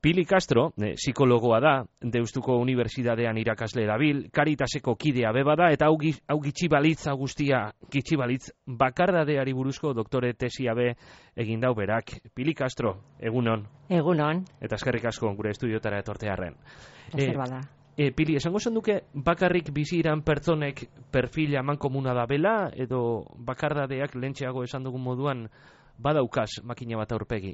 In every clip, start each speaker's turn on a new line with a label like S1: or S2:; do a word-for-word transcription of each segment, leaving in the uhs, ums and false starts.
S1: Pili Castro, eh, psikologoa da, Deustuko Unibertsitatean irakasle dabil, Caritaseko kidea beba da, eta hau, hau gitxibalitz, hau guztia gitxibalitz, bakardadeari buruzko doktore tesia be egin dau berak. Pili Castro, egunon.
S2: Egunon.
S1: Eta eskerrik asko gure estudiotara etortearren.
S2: Ezer bada.
S1: E, Pili, esango zenduke bakarrik bizi iran pertsonek perfil eman komuna da bela, edo bakardadeak lentxeago esan dugun moduan badaukaz makina bat aurpegi?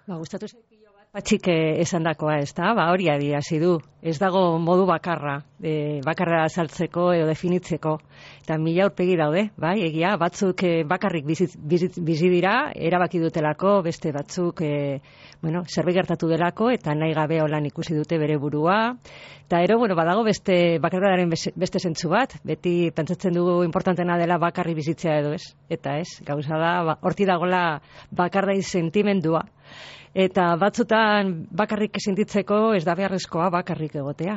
S2: Ba, gustatu zaipilo bat. Batxik esan dakoa, ez da? Ba, hori adi hasi du. Ez dago modu bakarra, e, bakarra azaltzeko edo definitzeko. Eta mila aurpegi daude, bai, egia, batzuk e, bakarrik bizi, bizi, bizi dira, erabaki dutelako, beste batzuk, e, bueno, zerbait gertatu delako, eta nahi gabe holan ikusi dute bere burua. Eta ero, bueno, badago beste bakarradaren beste zentzu bat, beti pentsatzen dugu importantena dela bakarri bizitzea edo ez. Eta ez, gauza da, ba, horti dagoela bakardai sentimendua. Eta batzutan bakarrik sentitzeko ez da beharrezkoa bakarrik egotea.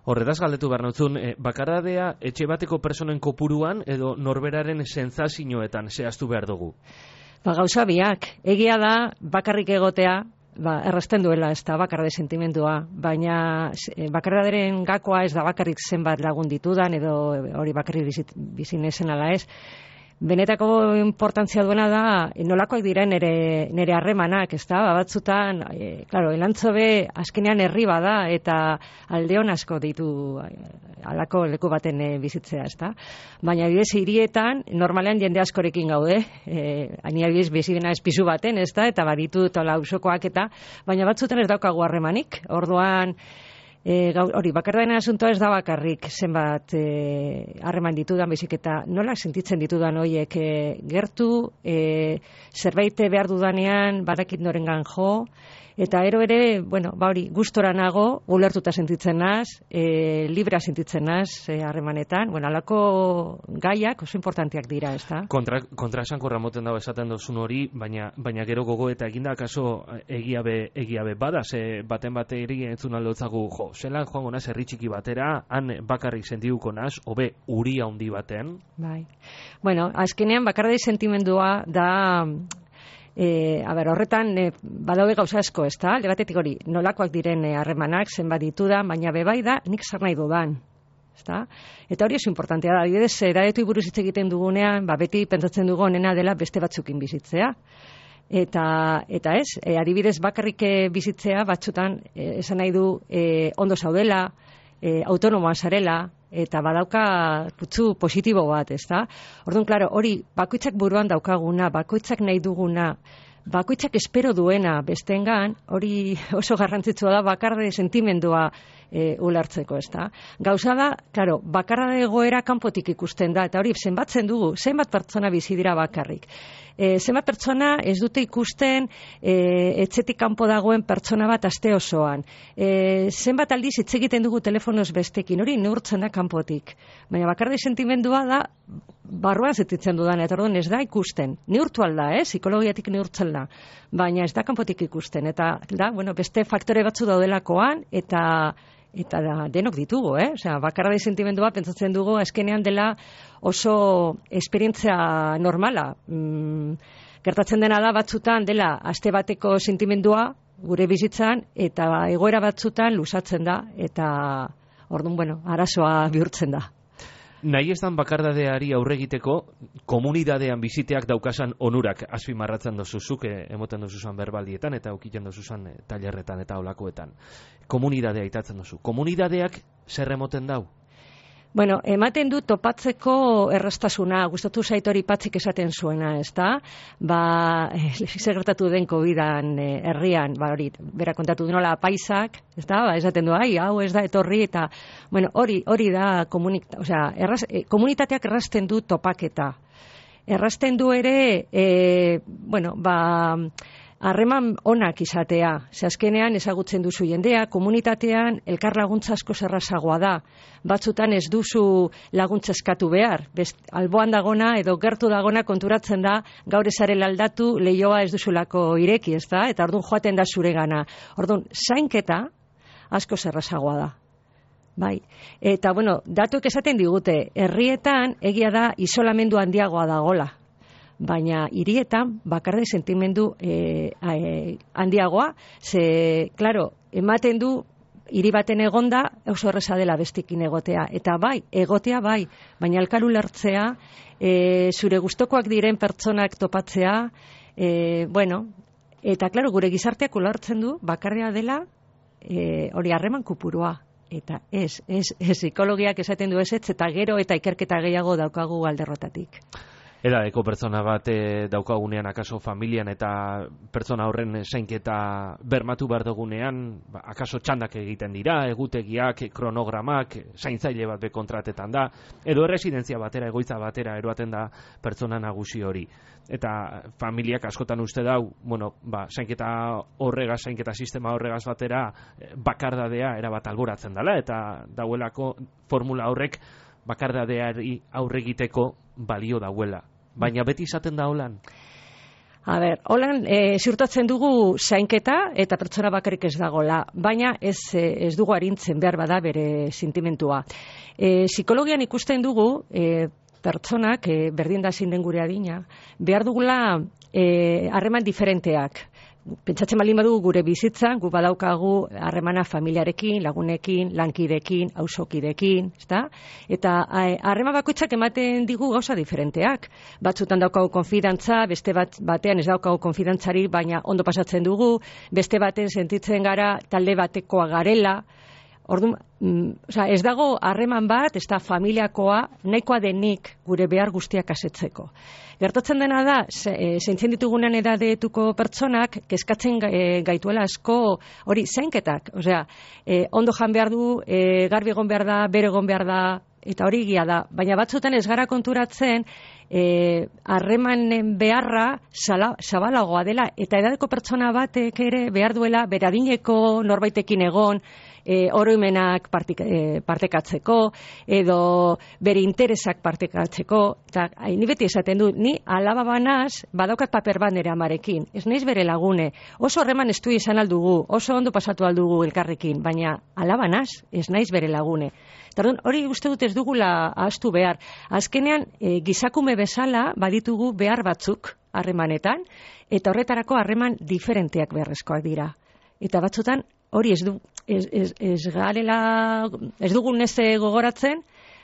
S1: Horretaz galdetu behar nautzun, eh, bakardadea etxe bateko personen kopuruan edo norberaren sentsazioetan zehaztu behar dugu?
S2: Ba, gauza biak, egia da bakarrik egotea, ba, errazten duela ez da bakarde sentimendua, baina e, bakardaderen gakoa ez da bakarrik zenbat lagun ditudan edo hori bakarrik bizit, bizinezen ala ez. Benetako importantzia duena da nolakoak diren nere nere harremanak, ezta? Ba, batzutan, e, claro, elantzobe azkenean herri bada eta aldeon asko ditu halako leku baten e, bizitzea, ezta? Baina bidez hirietan normalean jende askorekin gaude, eh ani adibidez bizibena espizu baten, ezta? Eta baditu tola auzokoak eta baina batzutan ez daukagu harremanik. Orduan E, hori, bakardaen asuntoa ez da bakarrik zenbat harreman e, ditudan, baizik eta nola sentitzen ditudan horiek e, gertu, e, zerbait behar dudanean badakit norengan jo, eta ero ere, bueno, ba hori, gustora nago, ulertuta sentitzen naz, e, libra sentitzen naz harremanetan, bueno, alako gaiak oso importanteak dira, ez da?
S1: Kontra, kontra esankorra moten dago esaten dozun hori, baina, baina gero gogo eta eginda kaso egiabe, egiabe bada, ze baten bate eri entzun aldotzagu, jo, zelan joango naz herri txiki batera, han bakarrik sentiguko naz, hobe uri handi baten?
S2: Bai. Bueno, azkenean bakardai sentimendua da, e, a ber, horretan e, badaude gauza asko, ez da? Legatetik hori, nolakoak diren harremanak, e, zenbat ditudan, baina bebai da, nik zer nahi dudan. Ezta? Eta hori oso importantea da, adibidez, edadetu buruz hitz egiten dugunean, ba, beti pentsatzen dugu onena dela beste batzukin bizitzea. Eta, eta ez, e, adibidez bakarrik bizitzea batzutan e, esan nahi du e, ondo zaudela, e, autonomoa zarela, eta badauka putzu positibo bat, ez da? Orduan, klaro, hori bakoitzak buruan daukaguna, bakoitzak nahi duguna, bakoitzak espero duena bestengan, hori oso garrantzitsua da bakarde sentimendua e, ulertzeko, ez da? Gauza da, klaro, bakarra egoera kanpotik ikusten da, eta hori zenbatzen dugu, zenbat pertsona bizi dira bakarrik. E, zenbat pertsona ez dute ikusten e, etxetik kanpo dagoen pertsona bat aste osoan. E, zenbat aldiz hitz egiten dugu telefonoz bestekin, hori neurtzen da kanpotik. Baina bakarde sentimendua da barruan sentitzen dudan, eta orduan ez da ikusten. Neurtu alda, eh? Psikologiatik neurtzen da. Baina ez da kanpotik ikusten. Eta da, bueno, beste faktore batzu daudelakoan, eta eta da, denok ditugu, eh? Osea, bakarra sentimendua pentsatzen dugu azkenean dela oso esperientzia normala. Mm, gertatzen dena da batzutan dela aste bateko sentimendua gure bizitzan eta egoera batzutan luzatzen da eta orduan, bueno, arazoa bihurtzen da.
S1: Nahi ez dan bakardadeari aurre egiteko, komunidadean biziteak daukasan onurak azpimarratzen dozuzuk, emoten dozuzan berbaldietan eta aukiten dozuzan tailerretan eta olakoetan. Komunidadea itatzen dozu. Komunidadeak zer emoten dau?
S2: Bueno, ematen du topatzeko erraztasuna, gustatu zait hori Patxik esaten zuena, ez da? Ba, zer gertatu den kovidan eh, herrian, ba hori, bera kontatu nola paisak, ez da? Ba, esaten du, ai, hau ez da etorri, eta, bueno, hori, hori da komunik, osea, erraz, eh, komunitateak errazten du topaketa. Errazten du ere, eh, bueno, ba, harreman onak izatea, ze azkenean ezagutzen duzu jendea, komunitatean elkar laguntza asko errazagoa da. Batzutan ez duzu laguntza eskatu behar, best, alboan dagona edo gertu dagona konturatzen da gaur ezarela aldatu leioa ez duzulako ireki, ez da? Eta orduan joaten da zuregana. Orduan, zainketa asko errazagoa da. Bai. Eta, bueno, datuek esaten digute, herrietan egia da isolamendu handiagoa dagola. baina hirietan bakarde sentimendu e, e, handiagoa, ze, klaro, ematen du hiri baten egonda oso erresa dela bestekin egotea, eta bai, egotea bai, baina elkar ulertzea, e, zure gustokoak diren pertsonak topatzea, e, bueno, eta klaro, gure gizarteak ulertzen du bakarrea dela e, hori harreman kupurua. Eta ez, ez, ez, psikologiak esaten du ez, eta gero eta ikerketa gehiago daukagu alderrotatik.
S1: Edadeko pertsona bat e, daukagunean akaso familian eta pertsona horren zainketa bermatu behar dugunean, ba, akaso txandak egiten dira, egutegiak, kronogramak, zaintzaile bat bekontratetan da, edo erresidentzia batera, egoitza batera eroaten da pertsona nagusi hori. Eta familiak askotan uste dau, bueno, ba, zainketa horregaz, zainketa sistema horregaz batera, bakardadea erabat alboratzen dela, eta dauelako formula horrek bakardadeari aurregiteko balio dauela. Baina beti izaten da holan?
S2: A ber, holan e, ziurtatzen dugu zainketa eta pertsona bakarrik ez dagola, baina ez, ez dugu arintzen behar bada bere sentimentua. E, psikologian ikusten dugu e, pertsonak, e, berdin da zein den gure adina, behar dugula harreman e, diferenteak. Pentsatzen baldin badugu gure bizitzan, gu badaukagu harremana familiarekin, lagunekin, lankidekin, auzokidekin, ezta? Eta harreman bakoitzak ematen digu gauza diferenteak. Batzutan daukagu konfidantza, beste bat batean ez daukagu konfidantzari, baina ondo pasatzen dugu, beste baten sentitzen gara talde batekoa garela. Orduan, mm, osea, ez dago harreman bat, ez da familiakoa, nahikoa denik gure behar guztiak asetzeko. Gertatzen dena da, zeintzen ditugunean edadetuko pertsonak, kezkatzen gaituela asko hori zainketak. Osea, e, ondo jan behar du, e, garbi egon behar da, bere egon behar da, eta hori egia da. Baina batzutan ez gara konturatzen, harremanen e, beharra zala, zabalagoa dela, eta edadeko pertsona batek ere behar duela, beradineko norbaitekin egon, E, oroimenak partik, e, partekatzeko, edo bere interesak partekatzeko, eta ni beti esaten du, ni alaba banaz, badaukat paper bat nere amarekin, ez naiz bere lagune, oso horreman estu izan aldugu, oso ondo pasatu aldugu elkarrekin, baina alaba naz, ez naiz bere lagune. Tardun, hori uste dut ez dugula ahaztu behar. Azkenean, e, gizakume bezala baditugu behar batzuk harremanetan, eta horretarako harreman diferenteak beharrezkoak dira. Eta batzutan, hori ez du, ez, ez, ez garela, ez dugu neze gogoratzen,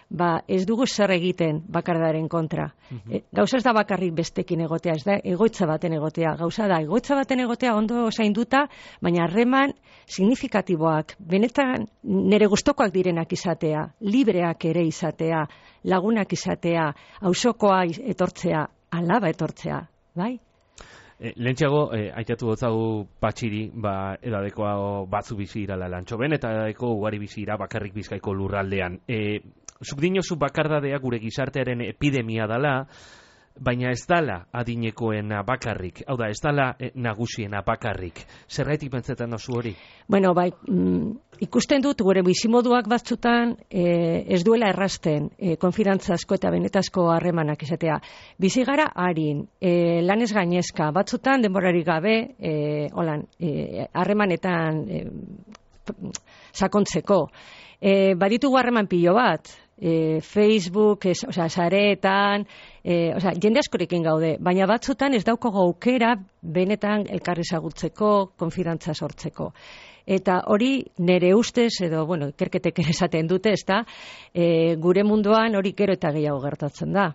S2: ba ez dugu zer egiten bakardaren kontra. Mm-hmm. E, gauza ez da bakarrik bestekin egotea, ez da egoitza baten egotea. Gauza da, egoitza baten egotea ondo zainduta, baina harreman signifikatiboak, benetan nire gustokoak direnak izatea, libreak ere izatea, lagunak izatea, auzokoa etortzea, alaba etortzea, bai?
S1: E, Lehentxeago, e, aitatu gotzagu patxiri, ba, edadekoa batzu bizi irala Lantxoben, eta edadeko ugari bizi ira bakarrik Bizkaiko lurraldean. E, zuk dinozu bakardadea gure gizartearen epidemia dala, baina ez dala adinekoena bakarrik, hau da, ez dala e, nagusiena bakarrik. Zergaitik pentsetan dozu hori?
S2: Bueno, bai, mm, ikusten dut gure bizimoduak batzutan e, ez duela errasten e, konfidantzazko eta benetazko harremanak izatea. Bizi gara harin, e, lanez gainezka, batzutan denborarik gabe, e, holan, harremanetan e, sakontzeko. E, baditugu harreman pilo bat, E, Facebook, ez, osea, sareetan, e, osea, jende askorekin gaude, baina batzutan ez daukago aukera benetan elkar ezagutzeko, konfidantza sortzeko. Eta hori nire ustez, edo, bueno, ikerketek ere esaten dute, ez da, e, gure munduan hori gero eta gehiago gertatzen da.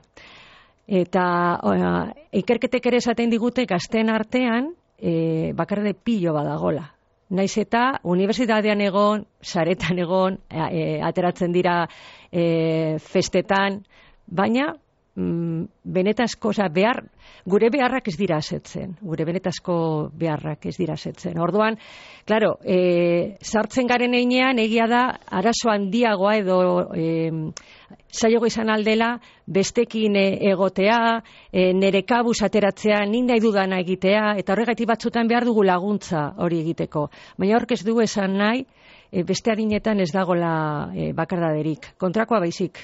S2: Eta oa, ikerketek ere esaten digute gazteen artean, e, bakarde pilo badagola. Naiz eta unibertsitatean egon, saretan egon, e, ateratzen dira e, festetan, baina mm, benetazko, oza, behar, gure beharrak ez dira asetzen, gure benetazko beharrak ez dira asetzen. Orduan, claro, e, sartzen garen einean, egia da, arazo handiagoa edo e, zailago izan aldela, bestekin egotea, e, nere kabuz ateratzea, nik nahi dudana egitea, eta horregatik batzutan behar dugu laguntza hori egiteko. Baina horrek ez du esan nahi, e, beste adinetan ez dagola e, bakardaderik. Kontrakoa baizik.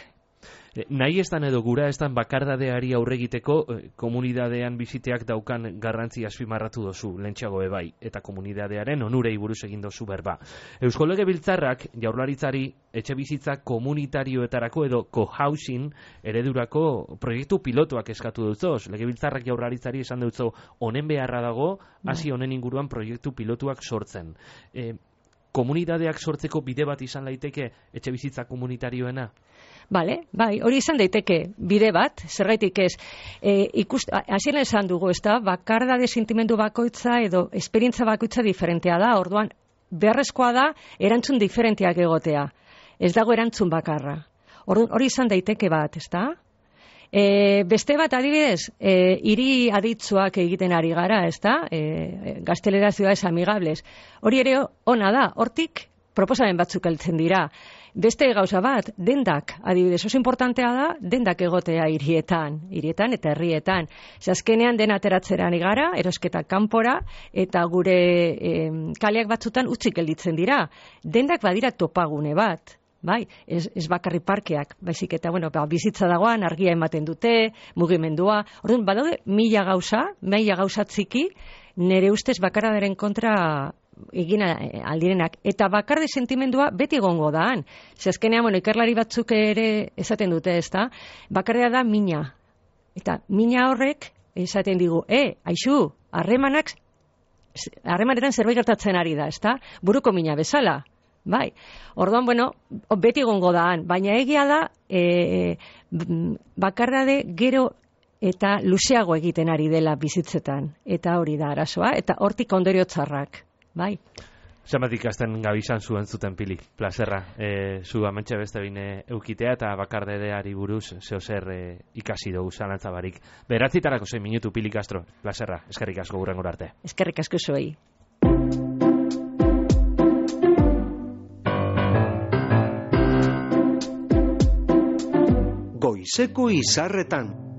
S1: E, nahi estan edo gura estan bakardadeari aurregiteko e, komunidadean biziteak daukan garrantzi azpimarratu dozu, lentsago ebai, eta komunidadearen onurei buruz egin dozu berba. Eusko Legebiltzarrak jaurlaritzari etxe bizitza komunitarioetarako edo co-housing eredurako proiektu pilotuak eskatu dutzoz. Legebiltzarrak jaurlaritzari esan dutzo honen beharra dago, hasi honen inguruan proiektu pilotuak sortzen. E, komunidadeak sortzeko bide bat izan daiteke etxe bizitza komunitarioena?
S2: Bale, bai, hori izan daiteke bide bat, zergaitik ez. E, ikust, hasieran esan dugu, ez da, bakardade sentimendu bakoitza edo esperientza bakoitza diferentea da, orduan beharrezkoa da erantzun diferenteak egotea. Ez dago erantzun bakarra. Orduan hori izan daiteke bat, ez da? E, beste bat adibidez, e, hiri aditzuak egiten ari gara, ez da? E, Gaztelera ciudades amigables. Hori ere ona da, hortik proposamen batzuk heltzen dira. Beste gauza bat, dendak, adibidez, oso importantea da, dendak egotea hirietan, hirietan eta herrietan. Azkenean dena ateratzeran igara, erosketa kanpora, eta gure e, kaleak batzutan utzik gelditzen dira. Dendak badira topagune bat. Bai, ez, ez bakarri parkeak, baizik eta, bueno, ba, bizitza dagoan, argia ematen dute, mugimendua. Orduan, badaude mila gauza, mila gauza txiki, nire ustez bakaradaren kontra egin aldirenak. Eta bakarde sentimendua beti egongo daan. Ze azkenean, bueno, ikerlari batzuk ere esaten dute, ez da? Bakardea da mina. Eta mina horrek esaten digu, e, aixu, harremanak, harremanetan zerbait gertatzen ari da, ez da? Buruko mina bezala. Bai, orduan, bueno, beti gongo daan, baina egia da e, bakardade gero eta luzeago egiten ari dela bizitzetan, eta hori da arazoa, eta hortik ondorio txarrak, bai.
S1: Zenbat ikasten gabizan zuen zuten Pili, plazerra, e, zu amentxe beste bine eukitea eta bakardadeari buruz zeo zer e, ikasi dugu zalantza barik. Beratzitarako zein minutu Pili Castro, plazerra, eskerrik asko gurren arte.
S2: Eskerrik asko zuei.
S3: Goizeko izarretan.